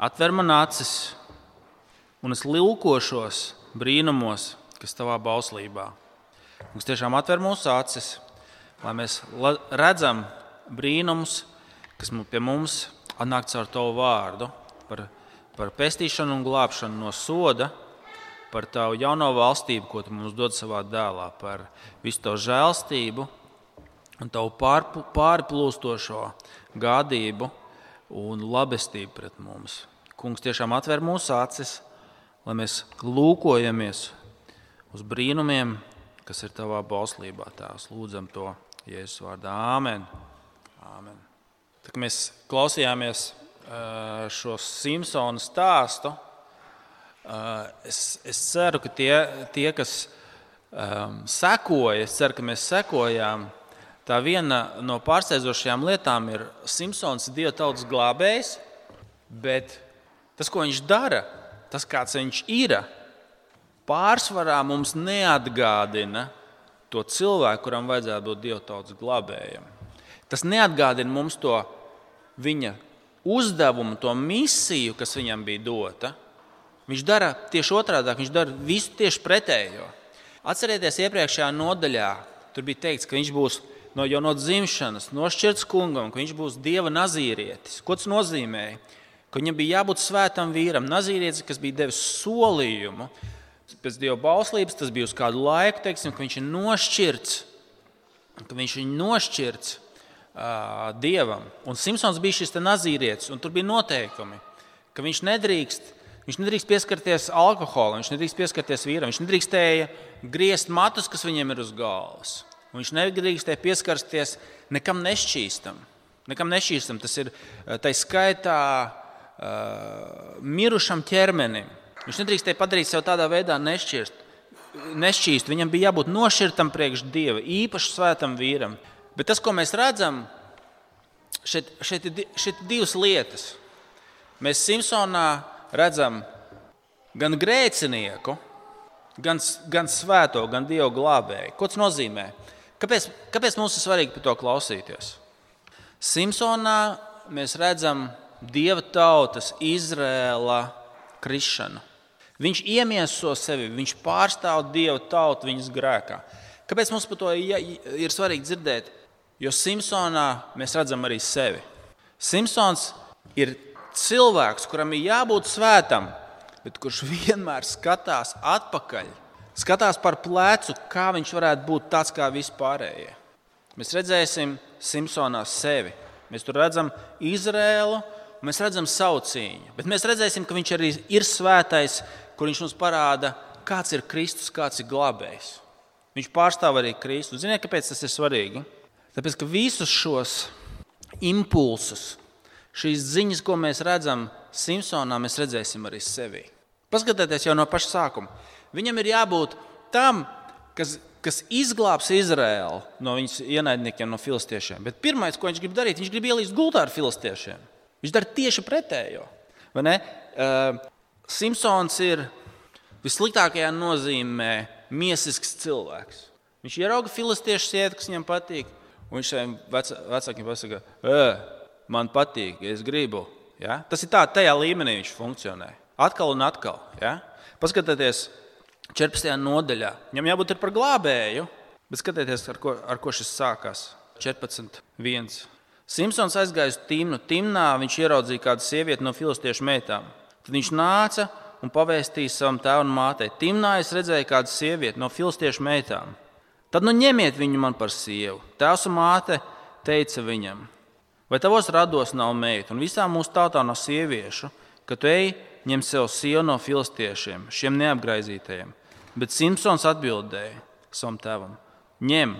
atver man acis, un es lūkošos brīnumos, kas tavā bauslībā. Kungs, tiešām atver mūsu acis, lai mēs redzam brīnumus, kas pie mums atnāk caur tavu vārdu, par pestīšanu un glābšanu no soda, par tavu jauno valstību, ko tu mums dod savā dēlā, par visu tavu žēlstību un tavu pārplūstošo gādību un labestību pret mums. Kungs, tiešām atver mūsu acis, lai mēs lūkojamies uz brīnumiem, kas ir tavā bauslībā. Tēvs, lūdzam to Jēzus vārdā. Āmen. Āmen. Tā, mēs klausījāmies šo Simpsona stāstu. Es ceru, ka tie kas sekoja, es ceru, ka mēs sekojām. Tā viena no pārsteidzošajām lietām ir Simpsons Dieva tautas glābējs, bet tas, ko viņš dara, tas, kāds viņš ir, pārsvarā mums neatgādina to cilvēku, kuram vajadzētu būt Dieva tautas glābējam. Tas neatgādina mums to viņa uzdevumu, to misiju, kas viņam bija dota. Viņš dara tieši otrādāk, viņš dara visu tieši pretējo. Atcerieties, iepriekšējā nodaļā tur bija teikts, ka viņš būs jau no dzimšanas nošķirts kungam, ka viņš būs Dieva nazīrietis. Ko tas nozīmēja? Ka viņam bija jābūt svētam vīram, nazīrietis, kas bija devis solījumu. Pēc Dieva bauslības tas bija uz kādu laiku, teiksim, ka viņš ir nošķirts, Dievam. Un Simpsons bija šis nazīrietis, un tur bija noteikumi, ka viņš nedrīkst pieskarties alkoholam, viņš nedrīkst pieskarties vīram, viņš nedrīkstēja griezt matus, kas viņiem ir uz galvas. Un viņš nedrīkstēja pieskarties nekam nešķīstam. Tas ir tai skaitā mirušam ķermenim. Viņš nedrīkstēja padarīt sev tādā veidā nešķīstu. Viņam bija jābūt nošķirtam priekš Dieva, īpaši svētam vīram. Bet tas, ko mēs redzam, šeit ir divas lietas. Mēs Simpsonā redzam gan grēcinieku, gan svēto, gan Dieva glābēju. Ko tas nozīmē? Kāpēc mums ir svarīgi par to klausīties? Simpsonā mēs redzam Dieva tautas, Izrēla krišanu. Viņš iemieso sevi, viņš pārstāv Dieva tautu viņas grēkā. Kāpēc mums par to ir svarīgi dzirdēt? Jo Simpsonā mēs redzam arī sevi. Simpsons ir cilvēks, kuram ir jābūt svētam, bet kurš vienmēr skatās atpakaļ, skatās par plecu, kā viņš varētu būt tāds kā vispārējie. Mēs redzēsim Simpsonā sevi. Mēs tur redzam Izrēlu, un mēs redzam savu cīņu. Bet mēs redzēsim, ka viņš arī ir svētais, kur viņš mums parāda, kāds ir Kristus, kāds ir glābējs. Viņš pārstāv arī Kristu. Ziniet, kāpēc tas ir svarīgi? Tāpēc, ka visus šos impulsus, šīs ziņas, ko mēs redzam Simpsonā, mēs redzēsim arī sevī. Paskatieties jau no paša sākuma. Viņam ir jābūt tam, kas izglābs Izraēlu no viņas ienaidniekiem, no filistiešiem. Bet pirmais, ko viņš grib darīt, viņš grib ielīst gultā ar filistiešiem. Viņš dara tieši pretējo. Vai ne? Simpsons ir vissliktākajā nozīmē miesisks cilvēks. Viņš ierauga filistiešu sievieti, kas viņam patīk, un viņš saviem vecākiem pasaka, man patīk, es gribu. Ja? Tas ir tajā līmenī viņš funkcionē. Atkal un atkal. Ja? Paskatieties 14. nodaļā. Viņam jābūt ir par glābēju, bet skatieties, ar ko šis sākās. 14.1. Simpsons aizgāja uz Timnu. Timnā viņš ieraudzīja kādu sievieti no filistiešu meitām. Tad viņš nāca un pavēstīja savam tēvam un mātei. Timnā es redzēju kādu sievieti no filistiešu meitām. Tad ņemiet viņu man par sievu. Tēvs un māte teica viņam, vai tavos rados nav meita un visā mūsu tautā nav sieviešu, ka tu ej ņem sev sievu no filistiešiem, šiem neapgraizītajiem. Bet Simpsons atbildēja savam tēvam, ņem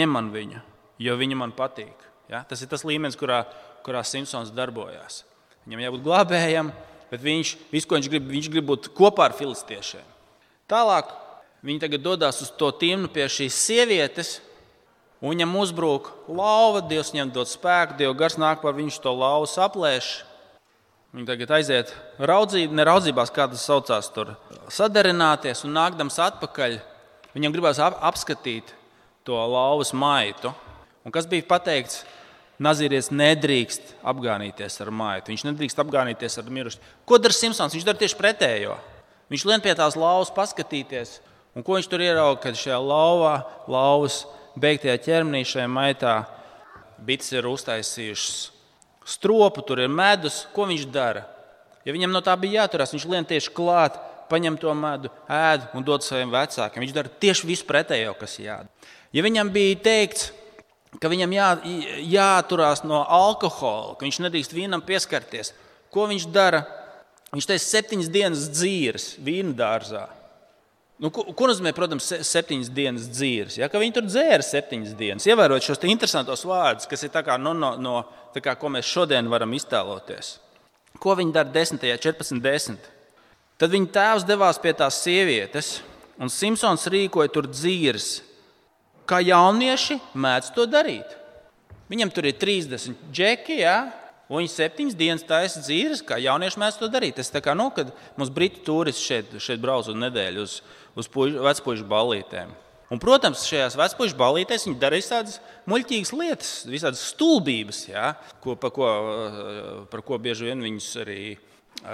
man viņu, jo viņa man patīk. Ja? Tas ir tas līmenis, kurā Simpsons darbojās. Viņam jābūt glābējam, bet visu, ko viņš grib būt kopā ar filistiešiem. Tālāk viņi tagad dodas uz to Timnu pie šīs sievietes, un viņam uzbrūk lauva, Dievs viņam dod spēku, Dieva gars nāk par viņš to lauvu saplēš. Viņi tagad aiziet neraudzībās, kā tas saucās tur, sadarināties, un nākdams atpakaļ, viņam gribās apskatīt to lauvas maitu. Un kas bija pateikts? Nazīrietis nedrīkst apgānīties ar maitu. Viņš nedrīkst apgānīties ar mirušu. Ko dara Simpsons? Viņš dara tieši pretējo. Viņš lien pie tās lauvas paskatīties. Un ko viņš tur ierauga, kad šajā lauvas beigtajā ķermenī šajā maitā bites ir uztaisījušas stropu, tur ir medus. Ko viņš dara? Ja viņam no tā bija jāturās, viņš lien tieši klāt, paņem to medu, ēd un dod saviem vecākiem. Viņš dara tieši visu pretējo, kas jādara. Ja viņam bija teikts, ka viņam jāturās no alkohola, ka viņš nedrīkst vīnam pieskarties. Ko viņš dara? Viņš teica 7 dienas dzīves vīna dārzā. Ko nozīmē, protams, 7 dienas dzīves? Ja? Ka viņi tur dzēra 7 dienas. Ievērot šos interesantos vārdus, kas ir tā kā, tā kā, ko mēs šodien varam iztēloties. Ko viņi dara 14.10. Tad viņa tēvs devās pie tās sievietes, un Simpsons rīkoja tur dzīves. Kā jaunieši mēdz to darīt. Viņam tur ir 30 džeki, un viņi 7 dienas taisa dzīves, kā jaunieši mēdz to darīt. Tas tā kā, kad mums britu turisti šeit brauc uz nedēļu uz vecpuišu ballītēm. Un, protams, šajās vecpuišu ballītēs viņi dara visādas muļķīgas lietas, visādas stulbības, par ko bieži vien viņus arī,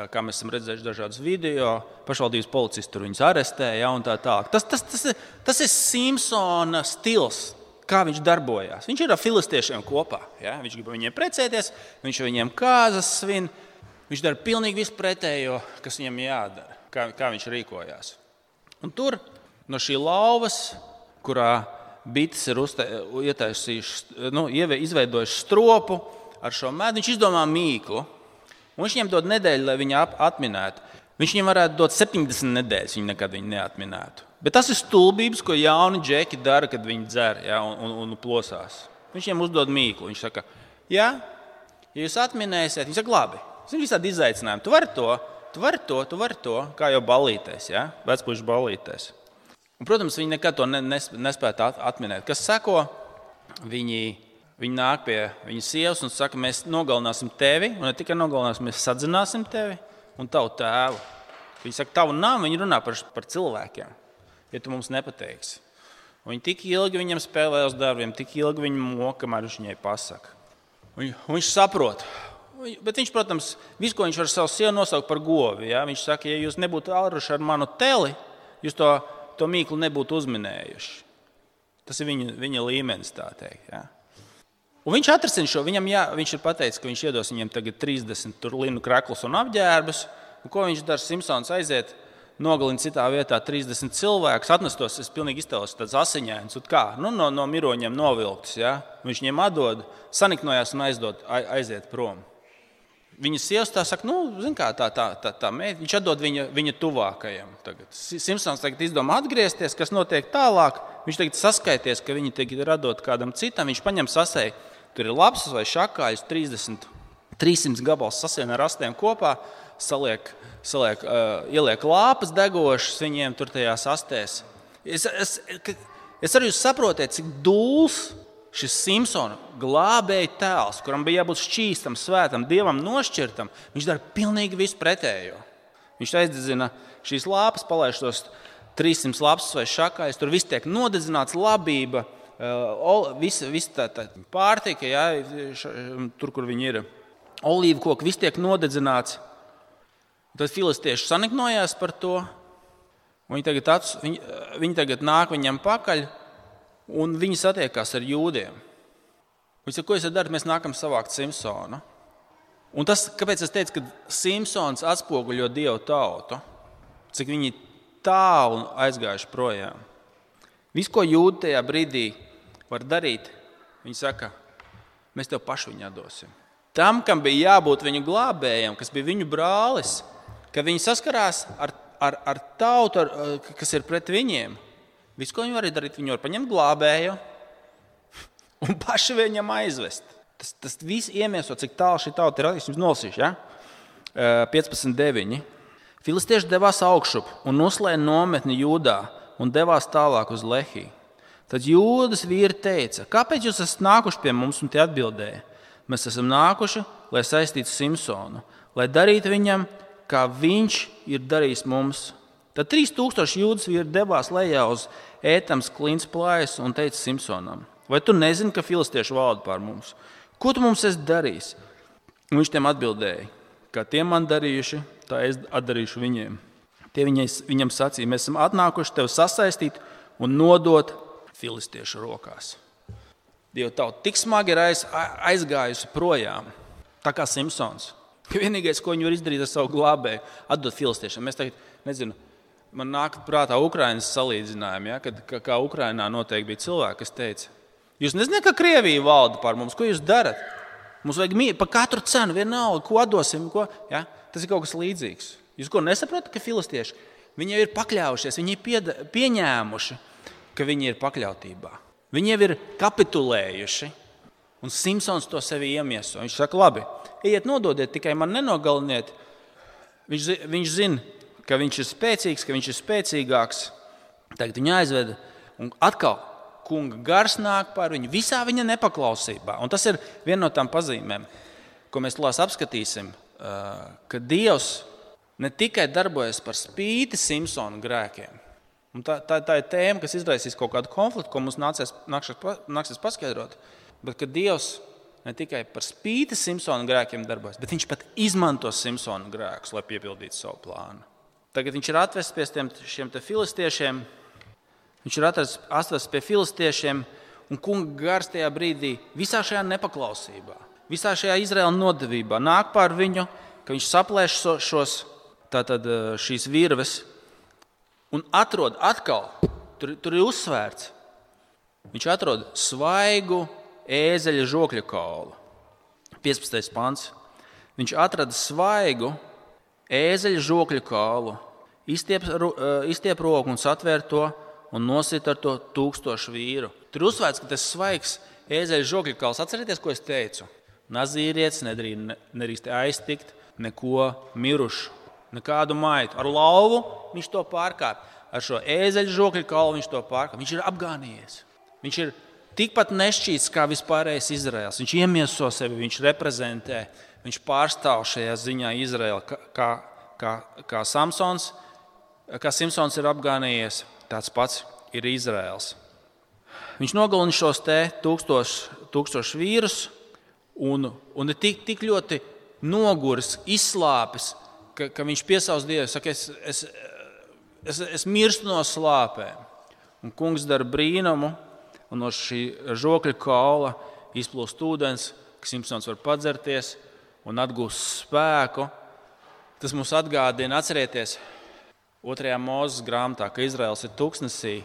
kā mēs esam redzējuši dažādas video, pašvaldības policisti tur viņus arestēja un tā tālāk. Tas ir Simpsona stils, kā viņš darbojās. Viņš ir ar filistiešiem kopā. Ja? Viņš grib viņiem precēties, viņš viņiem kāzas svin. Viņš dara pilnīgi visu pretējo, kas viņam jādara, kā viņš rīkojās. Un tur no šī lauvas, kurā bites ir izveidojuši stropu ar šo medu, viņš izdomā mīklu. Un viņš viņiem dod nedēļu, lai viņi atminētu. Viņš viņiem varētu dot 70 nedēļas, viņi nekad viņu neatminētu. Bet tas ir stulbības, ko jauni džeki dara, kad viņi dzer un plosās. Viņš viņiem uzdod mīklu. Viņš saka, ja jūs atminēsiet, viņi saka, labi, tas ir visādi izaicinājumi. Tu vari to, kā jau ballītēs, vecpuišu ballītēs. Un, protams, viņi nekad to nespētu atminēt. Kas seko? Viņi nāk pie viņas sievas un saka, mēs nogalināsim tevi, un ne tikai nogalināsim, mēs sadzināsim tevi un tavu tēvu. Viņi saka, tavu nav, viņi runā par cilvēkiem, ja tu mums nepateiksi. Un viņi tik ilgi viņam spēlē uz darbiem, tik ilgi viņu moka, kamēr viņš viņai pasaka. Un viņš saprot. Bet viņš, protams, visu, ko viņš var savu sievu nosaukt par govi. Ja? Viņš saka, ja jūs nebūtu āruši ar manu teli, jūs to mīklu nebūtu uzminējuši. Tas ir viņa līmenis, tā teikt. Ja? Un viņš atrasina šo, viņš ir pateicis, ka viņš iedos viņiem tagad 30 linu kreklus un apģērbus. Un ko viņš dara? Simpsons aiziet, nogalina citā vietā 30 cilvēkus, atnestos, es pilnīgi iztēlos tāds asiņains, un kā? No miroņiem novilktas, ja? Viņš viņiem atdod, saniknojās un aiziet prom. Viņa sievas tā saka, zin kā, tā meita, viņš atdod viņa tuvākajam. Tagad. Simpsons tagad izdomā atgriezties, kas notiek tālāk. Viņš tagad saskaities, ka viņi tagad ir atdot kādam citam, viņš paņem sasēju. Tur ir lapsas vai šakāļus, 300 gabals sasien ar astiem kopā, ieliek lāpas degošas viņiem tur tajās astēs. Es arī jūs saprotiet, cik dūls šis Simpsona glābēja tēls, kuram bija jābūt šķīstam, svētam, dievam nošķirtam, viņš dara pilnīgi visu pretējo. Viņš aizdedzina šīs lāpas, palaiž tos 300 lapsas vai šakāļus, tur viss tiek nodedzināts, labība, visa tā pārtika, tur, kur viņi ir, olīvu koki, viss tiek nodedzināts. Tad filistieši saniknojās par to, un viņi tagad nāk viņam pakaļ, un viņi satiekās ar jūdiem. Viņi saka, ko jūs darat, mēs nākam savākt Simpsonu. Un tas, kāpēc es teicu, ka Simpsons atspoguļo Dievu tautu, cik viņi tālu aizgājuši projām. Viss, ko jūdi tajā brīdī var darīt, viņi saka, mēs tev pašu viņu atdosim. Tam, kam bija jābūt viņu glābējam, kas bija viņu brālis, kad viņi saskarās ar tautu, kas ir pret viņiem, viss, ko viņi var darīt, viņi var paņemt glābēju un paši viņam aizvest. Tas viss iemieso, cik tālu šī tauta ir. Es jums nolasīšu, 15.9. Filistieši devās augšup un noslēja nometni Jūdā un devās tālāk uz Lehiju. Tad Jūdas vīri teica, kāpēc jūs esat nākuši pie mums, un tie atbildēja, mēs esam nākuši, lai saistītu Simpsonu, lai darītu viņam, kā viņš ir darījis mums. Tad 3000 Jūdas vīri devās lejā uz Ētams klints plājas un teica Simpsonam, vai tu nezini, ka filistieši valda pār mums? Ko tu mums esi darījis? Un viņš tiem atbildēja, kā tie man darījuši, tā es atdarīšu viņiem. Tie viņam sacīja, mēs esam atnākuši tevi sasaistīt un nodot filistiešu rokās. Dieva tauta tik smagi ir aizgājusi projām, tā kā Simpsons. Ka vienīgais, ko viņi var izdarīt ar savu glābēju, atdot filistiešiem. Mēs tagad, nezinu, man nāk prātā Ukrainas salīdzinājumi, ja, kad kā Ukrainā noteikti bija cilvēki, kas teica, jūs nezināt, ka Krievija valda pār mums, ko jūs darat? Mums vajag par katru cenu vienalga, ko atdosim, ko, ja? Tas ir kaut kas līdzīgs. Jūs ko nesaprotat, ka filistieši, viņi jau ir pakļaujušies, viņi ir pieņēmuši, ka viņi ir pakļautībā. Viņi jau ir kapitulējuši, un Simpsons to sevi iemieso. Viņš saka, labi, ejiet nododiet, tikai man nenogaliniet. Viņš zina, ka viņš ir spēcīgs, ka viņš ir spēcīgāks. Tagad viņu aizveda, un atkal kunga gars nāk pār viņu visā viņa nepaklausībā. Un tas ir viena no tām pazīmēm, ko mēs tūlīt apskatīsim, ka Dievs ne tikai darbojas par spīti Simpsona grēkiem. Un tā ir tēma, kas izraisīs kaut kādu konfliktu, ko mums nāksies paskaidrot. Bet ka Dievs ne tikai par spīti Simpsona grēkiem darbojas, bet viņš pat izmanto Simpsona grēkus, lai piepildītu savu plānu. Tagad viņš ir atvests pie šiem filistiešiem. Viņš ir atvests pie filistiešiem, un kunga gars tajā brīdī visā šajā nepaklausībā, visā šajā Izraēla nodevībā nāk pār viņu, ka viņš saplēš šīs virves un atrod atkal, tur ir uzsvērts, viņš atrod svaigu ēzeļa žokļa kaulu. 15. pants. Viņš atrada svaigu ēzeļa žokļa kaulu, izstiep roku un satvēr to un nosit ar to 1000 vīru. Tur uzsvērts, ka tas svaigs ēzeļa žokļa kauls. Atcerieties, ko es teicu? Nazīrietis nedrīkst aiztikt neko mirušu, nekādu maitu. Ar lauvu viņš to pārkāp. Ar šo ēzeļa žokļa kaulu viņš to pārkāp. Viņš ir apgānījies. Viņš ir tikpat nešķīts kā vispārējais Izraels. Viņš iemieso sevi, viņš reprezentē, viņš pārstāv šajā ziņā Izraelu. Kā Simpsons ir apgānījies, tāds pats ir Izraels. Viņš nogalina šos 1000 vīrus un ir tik ļoti noguris, izslāpis, ka viņš piesauc Dievu, saka, es mirstu no slāpēm. Un kungs dara brīnumu, un no šī žokļa kaula izplūst ūdens, ka Simpsons var padzerties un atgūst spēku. Tas mums atgādina, atcerieties, 2. Mūzes grāmatā, ka Izraels ir tuksnesī,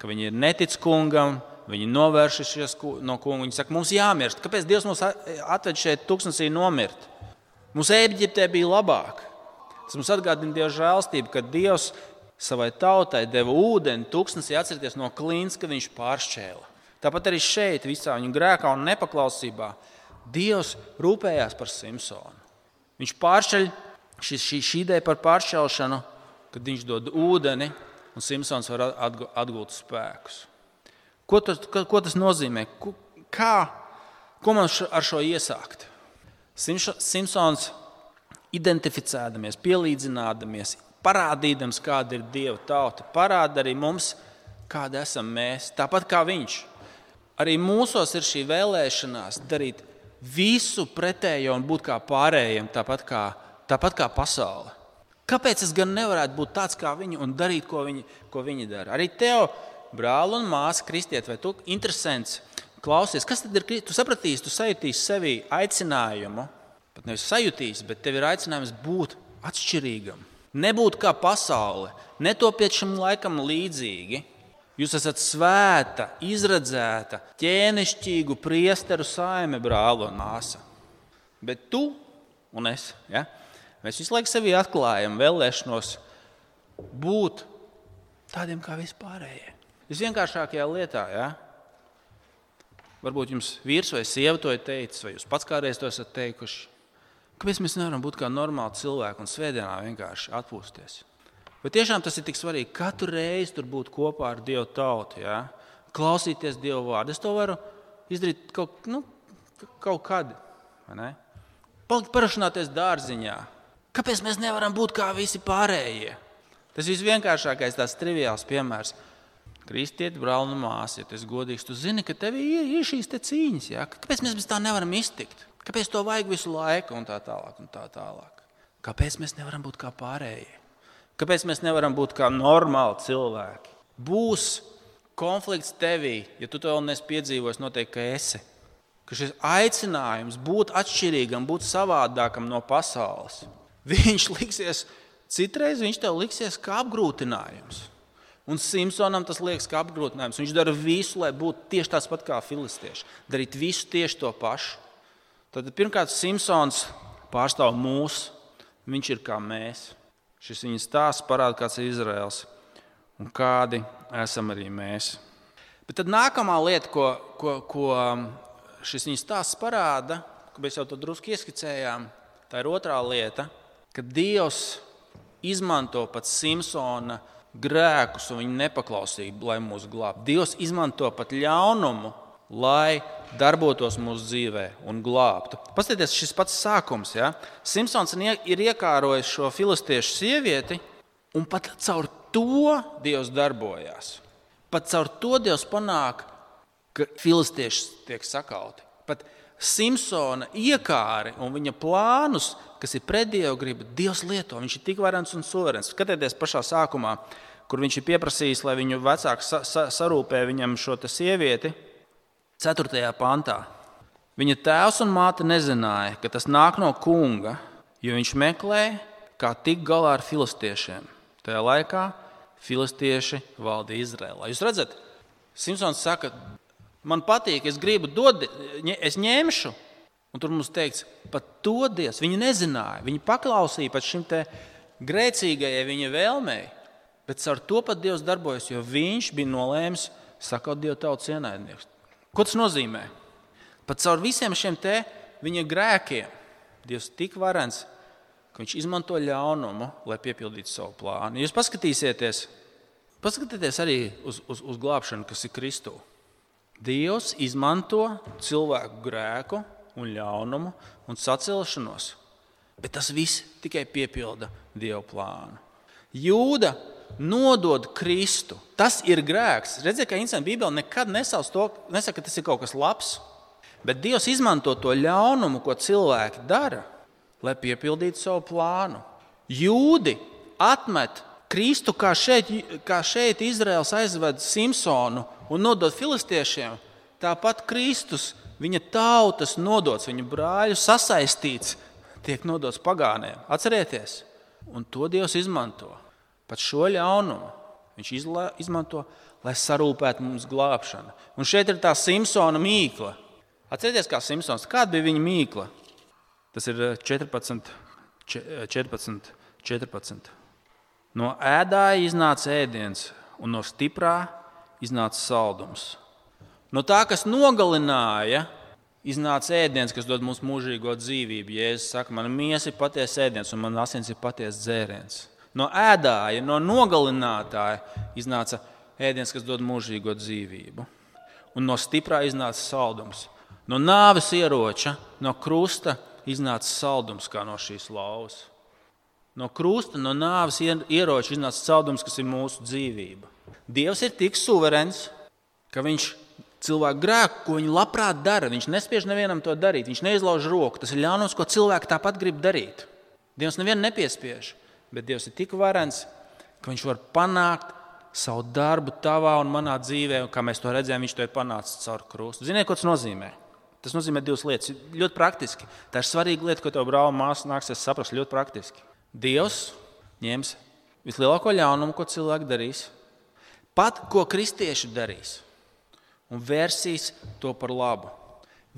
ka viņi ir netic kungam, viņi novēršušies no kunga. Viņi saka, mums jāmirst. Kāpēc Dievs mums atved šeit tuksnesī nomirt? Mums Ēģiptē bija labāk. Tas mums atgādina Dieva žēlstību, ka Dievs savai tautai deva ūdeni tuksnesī, atcerieties, no klīns, ka viņš pāršķēla. Tāpat arī šeit, visā viņu grēkā un nepaklausībā, Dievs rūpējās par Simpsonu. Viņš pāršķeļ šī ideja par pāršķelšanu, kad viņš dod ūdeni un Simpsons var atgūt spēkus. Ko tas nozīmē? Ko man ar šo iesākt? Simpsons identificēdamies, pielīdzinādamies, parādīdams, kāda ir Dieva tauta, parāda arī mums, kāda esam mēs, tāpat kā viņš. Arī mūsos ir šī vēlēšanās darīt visu pretējo un būt kā pārējiem, tāpat kā pasaule. Kāpēc es gan nevarētu būt tāds kā viņi un darīt, ko viņi dara? Arī tev, brāl un māsa, kristiet, vai tu interesants, klausies, kas tad ir? Tu sapratīsi, tu sajutīsi sevī aicinājumu, pat nevis sajutīsi, bet tev ir aicinājums būt atšķirīgam. Nebūt kā pasaule, netopiet šim laikam līdzīgi. Jūs esat svēta, izredzēta, ķēnišķīgu priesteru saime, brāl un māsa. Bet tu un es, ja? Mēs visu laiku sevi atklājam vēlēšanos būt tādiem kā vispārējie. Visvienkāršākajā lietā, ja? Varbūt jums vīrs vai sieva to ir teicis, vai jūs pats kādreiz to esat teikuši. Kāpēc mēs nevaram būt kā normāli cilvēki un svētdienā vienkārši atpūsties? Bet tiešām tas ir tik svarīgi, katru reizi tur būt kopā ar Dieva tautu, ja? Klausīties Dieva vārdu. Es to varu izdarīt kaut kad, vai ne? Parašanāties dārziņā. Kāpēc mēs nevaram būt kā visi pārējie? Tas visvienkāršākais, tās triviāls piemērs. Kristieti, brāli un māsa, ja tu esi godīgs, tu zini, ka tev ir šīs te cīņas. Ja? Kāpēc mēs bez tā nevaram iztikt? Kāpēc to vajag visu laiku un tā tālāk un tā tālāk? Kāpēc mēs nevaram būt kā pārējie? Kāpēc mēs nevaram būt kā normāli cilvēki? Būs konflikts tevī, ja tu to vēl neesi piedzīvojis, noteikti, ka esi. Ka šis aicinājums būt atšķirīgam, būt savādākam no pasaules, citreiz viņš tev liksies kā apgrūtinājums. Un Simpsonam tas liekas kā apgrūtinājums. Viņš dara visu, lai būtu tieši tāds pat kā filistieši. Darīt visu tieši to pašu. Tad pirmkārt Simpsons pārstāv mūs. Viņš ir kā mēs. Šis viņa stāsts parāda, kāds ir Izraels un kādi esam arī mēs. Bet tad nākamā lieta, ko šis viņa stāsts parāda, ko mēs jau to drusku ieskicējām, tā ir otrā lieta, ka Dievs izmanto pat Simpsona grēkus un viņa nepaklausību, lai mūs glābtu. Dievs izmanto pat ļaunumu, lai darbotos mūsu dzīvē un glābtu. Paskatieties, šis pats sākums. Ja? Simpsons ir iekārojis šo filistiešu sievieti, un pat caur to Dievs darbojās. Pat caur to Dievs panāk, ka filistieši tiek sakauti. Pat Simpsona iekāri un viņa plānus, kas ir pret Dievu gribu, Dievs lieto. Viņš ir tik varens un suverens. Skatieties pašā sākumā, kur viņš ir pieprasījis, lai viņu vecāks sarūpē viņam šo sievieti, 4. pantā. Viņa tēvs un māte nezināja, ka tas nāk no kunga, jo viņš meklē, kā tikt galā ar filistiešiem. Tajā laikā filistieši valdīja Izrēlā. Jūs redzat, Simpsons saka, man patīk, es gribu dot, es ņemšu. Un tur mums teikts, pat to Dievs. Viņi nezināja, viņi paklausīja pat šim te grēcīgajai viņa vēlmei, bet ar to pat Dievs darbojas, jo viņš bija nolēmis sakaut Dievu tautas ienaidniekus. Ko tas nozīmē? Pat caur visiem šiem te viņa grēkiem Dievs tik varens, ka viņš izmanto ļaunumu, lai piepildītu savu plānu. Jūs paskatieties arī uz glābšanu, kas ir Kristū. Dievs izmanto cilvēku grēku un ļaunumu un sacelšanos, bet tas viss tikai piepilda Dieva plānu. Jūda nodod Kristu. Tas ir grēks. Redziet, ka Bībele nekad nesaka, ka tas ir kaut kas labs, bet Dievs izmanto to ļaunumu, ko cilvēki dara, lai piepildītu savu plānu. Jūdi atmet Kristu, kā šeit Izraels aizved Simpsonu un nodod filistiešiem, tāpat Kristus, viņa tautas nodots, viņa brāļu sasaistīts, tiek nodots pagāniem. Atcerieties, un to Dievs izmanto. Pat šo ļaunumu viņš izmanto, lai sarūpētu mums glābšanu. Un šeit ir tā Simpsona mīkla. Atcerieties, kā Simpsons, kāda bija viņa mīkla? Tas ir 14. No ēdāja iznāca ēdiens, un no stiprā iznāca saldums. No tā, kas nogalināja, iznāca ēdiens, kas dod mums mūžīgo dzīvību. Jēzus saka, mana miesa ir patiesa ēdiens, un man asins ir patiesa dzēriens. No ēdāja, no nogalinātāja iznāca ēdiens, kas dod mūžīgo dzīvību. Un no stiprā iznāca saldums. No nāves ieroča, no krusta iznāca saldums, kā no šīs lauvas. No krusta, no nāves ieroča iznāca saldums, kas ir mūsu dzīvība. Dievs ir tik suverens, ka viņš cilvēku grēku, ko viņi labprāt dara, viņš nespiež nevienam to darīt, viņš neizlauž roku. Tas ir ļaunums, ko cilvēki tāpat grib darīt. Dievs nevienu nepiespiež, bet Dievs ir tik varens, ka viņš var panākt savu darbu tavā un manā dzīvē, un kā mēs to redzējām, viņš to ir panācis caur krustu. Ziniet, ko tas nozīmē? Tas nozīmē divas lietas. Ļoti praktiski. Tā ir svarīga lieta, ko tev brāl māsa nāksies saprast ļoti praktiski. Dievs ņems vislielāko ļaunumu, ko cilvēki darīs, pat ko kristieši darīs, un vērsīs to par labu.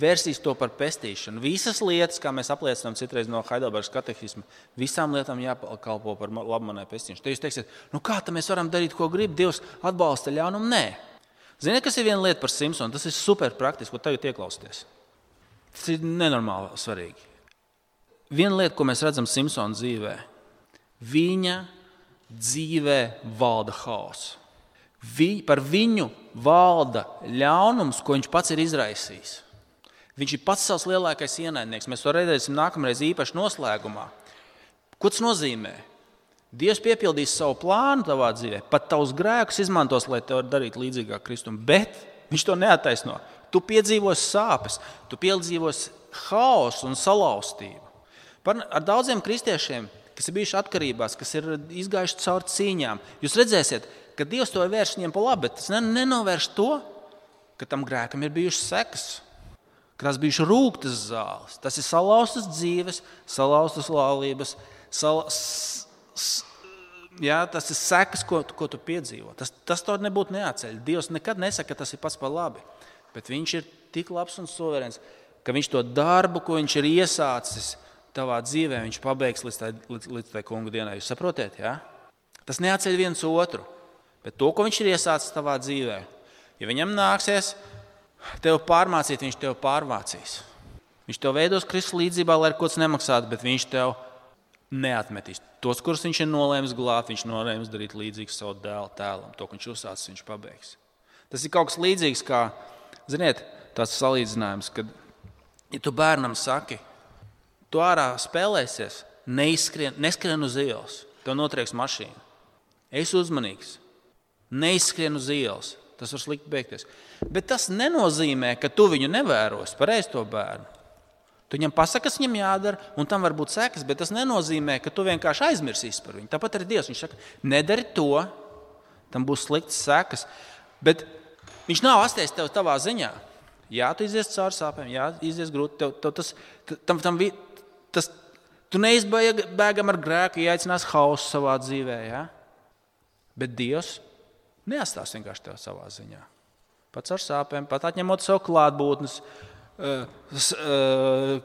Vērsīs to par pestīšanu. Visas lietas, kā mēs apliecinām citreiz no Heidelbergas katehisma, visām lietām jākalpo par labmanai pestīšanu. Te jūs teiksiet, kā tā mēs varam darīt, ko grib? Dievs atbalsta ļaunumu? Nē. Ziniet, kas ir viena lieta par Simpsonu? Tas ir super praktiski, ko tagad ieklausties. Tas ir nenormāli svarīgi. Viena lieta, ko mēs redzam Simpsona dzīvē, viņa dzīvē valda haoss. Par viņu valda ļaunums, ko viņš pats ir izraisījis. Viņš ir pats savs lielākais ienaidnieks. Mēs to redzēsim nākamreiz īpaši noslēgumā. Ko tas nozīmē? Dievs piepildīs savu plānu tavā dzīvē, pat tavus grēkus izmantos, lai tev darītu līdzīgāk Kristum, bet viņš to neattaisno. Tu piedzīvosi sāpes, tu piedzīvosi haosu un salauztību. Ar daudziem kristiešiem, kas ir bijuši atkarībās, kas ir izgājuši cauri cīņām, jūs redzēsiet, ka Dievs to ir vērš viņiem pa labi, bet tas nenovērš to, ka tam grēkam ir bijušas sekas, ka tās bijušas rūgtas zāles. Tas ir salauztas dzīves, salauztas laulības, tas ir sekas, ko tu piedzīvo. Tas to nebūtu neatceļ. Dievs nekad nesaka, ka tas ir pats par labi, bet viņš ir tik labs un suverēns, ka viņš to darbu, ko viņš ir iesācis tavā dzīvē, viņš pabeigs līdz tai kunga dienai. Jūs saprotiet, jā? Tas neatceļ viens otru, bet to, ko viņš ir iesācis tavā dzīvē, ja viņam nāksies tev pārmācīt, viņš tev pārmācīs. Viņš tev veidos Kristus līdzībā, lai ar ko tas nemaksātu, bet viņš tev neatmetīs. Tos, kurus viņš ir nolēmis glābt, viņš nolēmis darīt līdzīgu savu dēlu tēlam. To, ko viņš uzsācis, viņš pabeigs. Tas ir kaut kas līdzīgs, kā, ziniet, tāds salīdzinājums, kad, ja tu bērnam saki, tu ārā spēlēsies, neskrien uz ielas, tev notrieks mašīna. Esi uzmanīgs, neizskrien uz ielas, tas var slikti beigties. Bet tas nenozīmē, ka tu viņu nevērosi, pareizi to bērnu. Tu viņam pasaki, kas viņam jādara, un tam var būt sekas, bet tas nenozīmē, ka tu vienkārši aizmirsīsi par viņu. Tāpat arī Dievs, viņš saka, nedari to, tam būs sliktas sekas, bet viņš nav atsties tev tavā ziņā. Jā, tu izies cauri sāpēm, jā, izies grūti, tu neizbēgam ar grēku, ieaicinās hausu savā dzīvē, jā? Bet Dievs neatstās vienkārši tev savā ziņā. Pats ar sāpēm, pat atņemot savu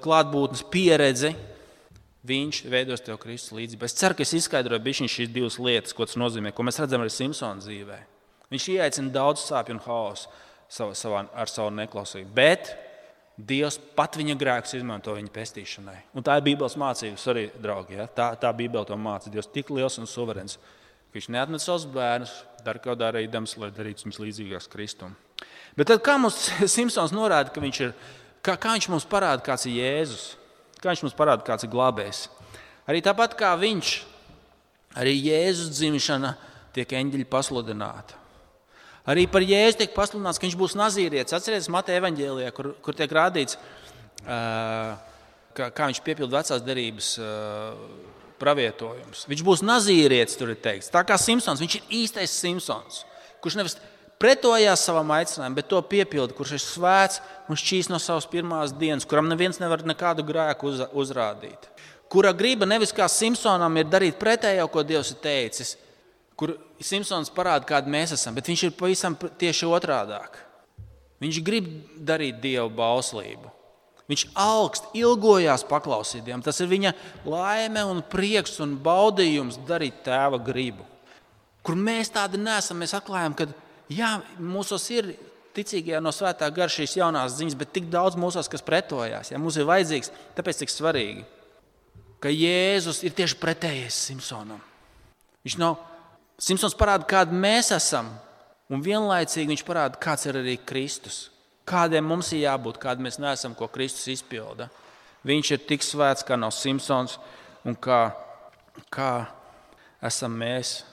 klātbūtnes pieredzi, viņš veidos tev Kristus līdzību. Es ceru, ka es izskaidroju bišķiņ šīs divas lietas, ko tas nozīmē, ko mēs redzam arī Simpsona dzīvē. Viņš ieaicina daudz sāpju un hausu ar savu neklausību, bet Dievs pat viņa grēkus izmanto viņa pestīšanai. Un tā ir Bībeles mācības arī, draugi. Ja? Tā Bībele to māca. Dievs tik liels un suverēns, ka viņš neatmet savus bērnus, dara kaut darīdams, lai darītu viņus līdzīgāks Kristum. Bet tad kā mums Simpsons norāda, ka viņš ir, kā viņš mums parāda, kāds ir Jēzus? Kā viņš mums parāda, kāds ir glābējs? Arī tāpat kā viņš, arī Jēzus dzimšana tiek eņģeļi pasludināta. Arī par Jēzu tiek pasludināts, ka viņš būs nazīrietis. Atcerieties Mateja evaņģēlijā, kur tiek rādīts, kā viņš piepilda vecās derības pravietojums. Viņš būs nazīrietis, tur ir teikts. Tā kā Simpsons, viņš ir īstais Simpsons, kurš nevis pretojās savam aicinājumam, bet to piepilda, kurš ir svēts un šķīs no savas pirmās dienas, kuram neviens nevar nekādu grēku uzrādīt. Kura griba nevis kā Simpsonam ir darīt pretējo, ko Dievs ir teicis, kur Simpsons parāda, kādi mēs esam, bet viņš ir pavisam tieši otrādāk. Viņš grib darīt Dievu bauslību. Viņš augst, ilgojās paklausīt Dievam. Tas ir viņa laime un prieks un baudījums darīt tēva gribu. Kur mēs tādi neesam, mēs atklājam, ka jā, mūsos ir ticīgajā no svētā gara šīs jaunās ziņas, bet tik daudz mūsos, kas pretojās. Ja, mums ir vajadzīgs, tāpēc tik svarīgi, ka Jēzus ir tieši pretējais Simpsonam. Simpsons parāda, kādi mēs esam, un vienlaicīgi viņš parāda, kāds ir arī Kristus. Kādiem mums ir jābūt, kādi mēs neesam, ko Kristus izpilda. Viņš ir tik svēts, kā nav Simpsons, un kā esam mēs.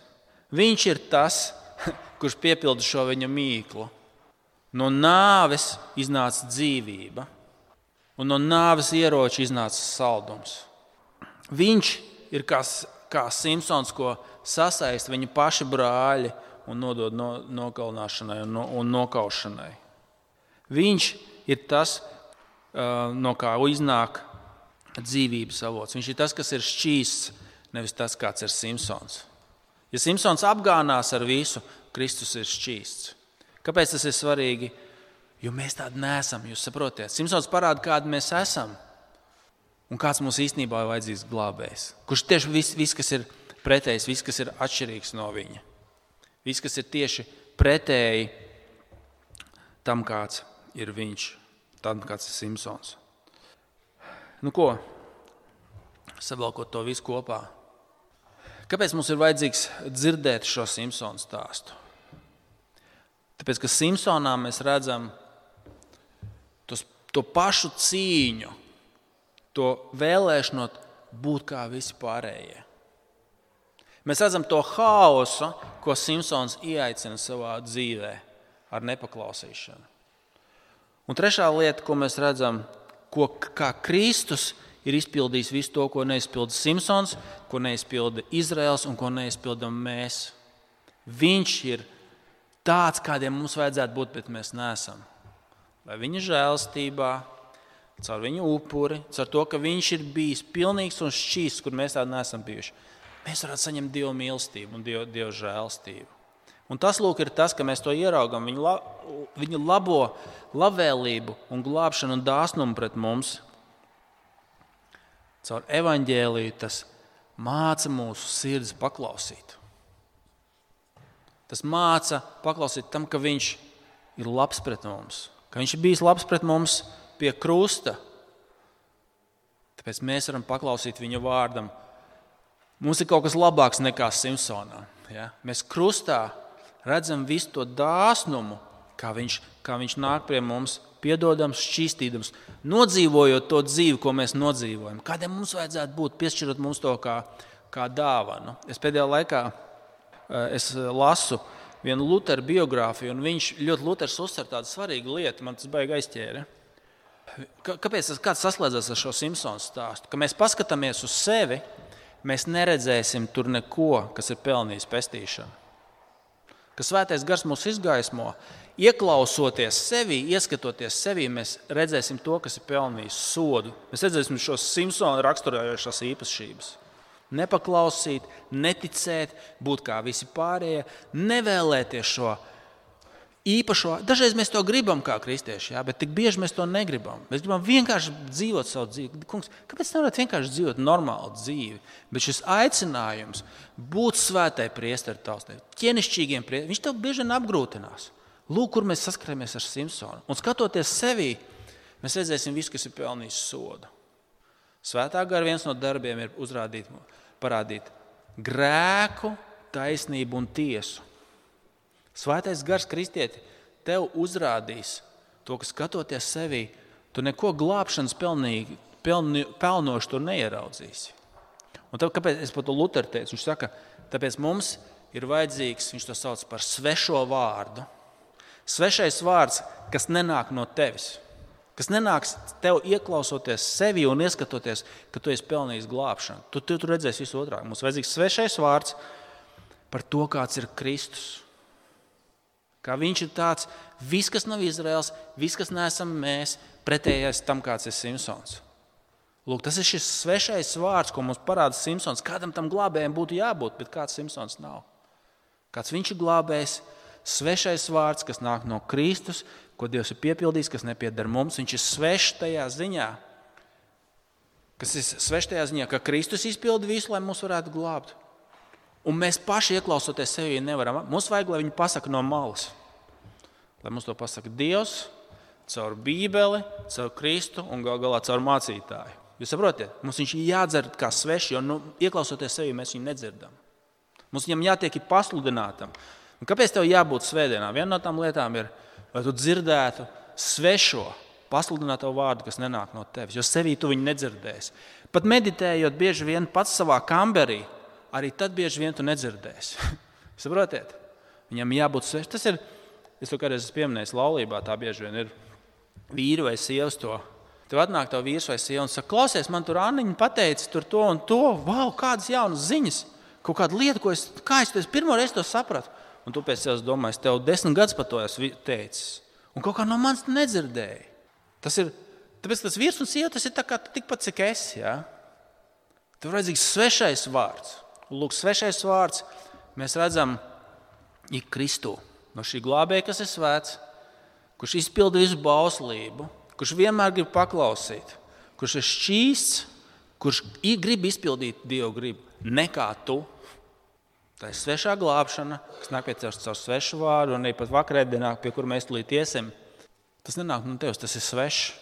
Viņš ir tas, kurš piepilda šo viņa mīklu. No nāves iznāca dzīvība, un no nāves ieroča iznāca saldums. Viņš ir kā Simpsons, ko sasaista viņa paši brāļi un nodod nokalnāšanai un nokaušanai. Viņš ir tas, no kā iznāk dzīvības avots. Viņš ir tas, kas ir šķīsts, nevis tas, kāds ir Simpsons. Ja Simpsons apgānās ar visu, Kristus ir šķīsts. Kāpēc tas ir svarīgi? Jo mēs tādi neesam, jūs saprotiet. Simpsons parāda, kādi mēs esam un kāds mums īstenībā ir vajadzīgs glābējs. Kurš tieši viss, kas ir pretējs, viss, kas ir atšķirīgs no viņa. Viss, kas ir tieši pretēji tam, kāds ir viņš, tam, kāds ir Simpsons. Nu ko? Savalkot to visu kopā. Kāpēc mums ir vajadzīgs dzirdēt šo Simpsonu stāstu? Tāpēc, ka Simpsonā mēs redzam to pašu cīņu, to vēlēšanos būt kā visi pārējie. Mēs redzam to haosu, ko Simpsons ieaicina savā dzīvē ar nepaklausīšanu. Un trešā lieta, ko mēs redzam, kā Kristus ir izpildījis visu to, ko neizpilda Simpsons, ko neizpilda Izraels un ko neizpildam mēs. Viņš ir tāds, kādiem mums vajadzētu būt, bet mēs neesam. Vai viņa žēlstībā, caur viņa upuri, caur to, ka viņš ir bijis pilnīgs un šķīsts, kur mēs tādi neesam bijuši. Mēs varētu saņemt Dieva mīlestību un Dieva žēlstību. Un tas, lūk, ir tas, ka mēs to ieraugam, viņa labo labvēlību un glābšanu un dāsnumu pret mums. Caur evaņģēliju tas māca mūsu sirds paklausīt. Tas māca paklausīt tam, ka viņš ir labs pret mums, ka viņš ir bijis labs pret mums pie krusta. Tāpēc mēs varam paklausīt viņa vārdam. Mums ir kaut kas labāks nekā Simpsonā. Ja? Mēs krustā redzam visu to dāsnumu, kā viņš nāk pie mums, piedodams, šķīstīdams, nodzīvojot to dzīvi, ko mēs nodzīvojam. Kādiem mums vajadzētu būt, piešķirot mums to kā dāvanu. Es pēdējā laikā lasu vienu Lutera biogrāfiju, un Luters uzsver tādu svarīgu lietu, man tas baigi aizķēra. Kāpēc kāds saslēdzas ar šo Simpsons stāstu? Ka mēs paskatāmies uz sevi, mēs neredzēsim tur neko, kas ir pelnījis pestīšanu. Ka Svētais Gars mūs izgaismo, ieklausoties sevi, ieskatoties sevi, mēs redzēsim to, kas ir pelnījis sodu. Mēs redzēsim šos Simpsona raksturējošās īpašības. Nepaklausīt, neticēt, būt kā visi pārējie, nevēlēties šo īpašo. Dažreiz mēs to gribam kā kristieši, bet tik bieži mēs to negribam. Mēs gribam vienkārši dzīvot savu dzīvi. Kungs, kāpēc nevarat vienkārši dzīvot normālu dzīvi? Bet šis aicinājums būt svētai priesteri tautei, ķēnišķīgiem priesteriem, viņš tev bieži vien apgrūtinās. Lūk, kur mēs saskaramies ar Simpsonu. Un skatoties sevī, mēs redzēsim visu, kas ir pelnījis sodu. Svētā gara viens no darbiem ir parādīt grēku, taisnību un tiesu. Svētais Gars, kristieti, tev uzrādīs to, ka skatoties sevī, tu neko glābšanas pelnošu tur neieraudzīsi. Un tad, kāpēc es par to Luteru teicu? Viņš saka, tāpēc mums ir vajadzīgs, viņš to sauc par svešo vārdu. Svešais vārds, kas nenāk no tevis. Kas nenāks tev ieklausoties sevi un ieskatoties, ka tu esi pelnījis glābšanu. Tu redzēsi visu otrāk. Mums vajadzīgs svešais vārds par to, kāds ir Kristus. Kā viņš ir tāds, viss, kas nav Izraels, viss, kas neesam mēs, pretējais tam, kāds ir Simpsons. Lūk, tas ir šis svešais vārds, ko mums parāda Simpsons. Kādam tam glābējiem būtu jābūt, bet kāds Simpsons nav. Kāds viņš ir glābējs, svešais vārds, kas nāk no Kristus, ko Dievs ir piepildījis, kas nepieder mums. Viņš ir svešs tajā ziņā, ka Kristus izpilda visu, lai mūs varētu glābt. Un mēs paši ieklausoties sevi nevaram. Mums vajag, lai viņi pasaka no malas. Lai mums to pasaka Dievs, caur Bībeli, caur Kristu un galā caur mācītāju. Jūs saprotiet? Mums viņš ir jādzer kā sveši, jo ieklausoties sevi mēs viņu nedzirdam. Mums viņam jātiek pasludinātam. Un kāpēc tev jābūt svētdienā? Viena no tām lietām ir, lai tu dzirdētu svešo, pasludināto vārdu, kas nenāk no tevis, jo sevī tu viņu nedzirdēsi. Pat meditējot bieži vien pats savā kamberī, arī tad bieži vien tu nedzirdēsi. Saprotiet? Viņam jābūt svešam. Tas ir, es to kādreiz esmu pieminējis laulībā, tā bieži vien ir vīri vai sievas to. Tev atnāk tev vīrs vai sieva un saka, klausies, man tur Anniņa pateica tur to un to. Vau, kādas jaunas ziņas. Kaut kāda lieta, kā es pirmo reizi to sapratu. Un tu pēc sevis domāji, es tev 10 gadus par to esmu teicis. Un kaut kā no manis nedzirdēji. Tāpēc tas vīrs un sieva, tas ir tā kā tikpat, cik esi. Ja? Tev ir vajadzīgs svešais vārds. Lūk, svešais vārds mēs redzam ir Kristu. No šī glābēja, kas ir svēts, kurš izpilda visu bauslību, kurš vienmēr grib paklausīt, kurš ir šķīsts, kurš grib izpildīt Dievu gribu, nekā tu. Tā ir svešā glābšana, kas nāk pie tevis caur svešu vārdu, un arī pat vakarēdienā, pie kur mēs tulīt iesim. Tas nenāk no tevis, tas ir svešs.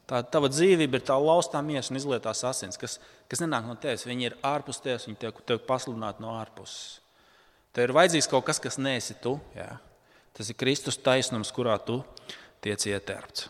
Tā tava dzīvība ir tā laustā miesa un izlietās asins, kas nenāk no tevis. Viņi ir ārpus tevis, viņi tev pasludināti no ārpuses. Tev ir vajadzīgs kaut kas neesi tu. Jā. Tas ir Kristus taisnums, kurā tu tiec ietērpts.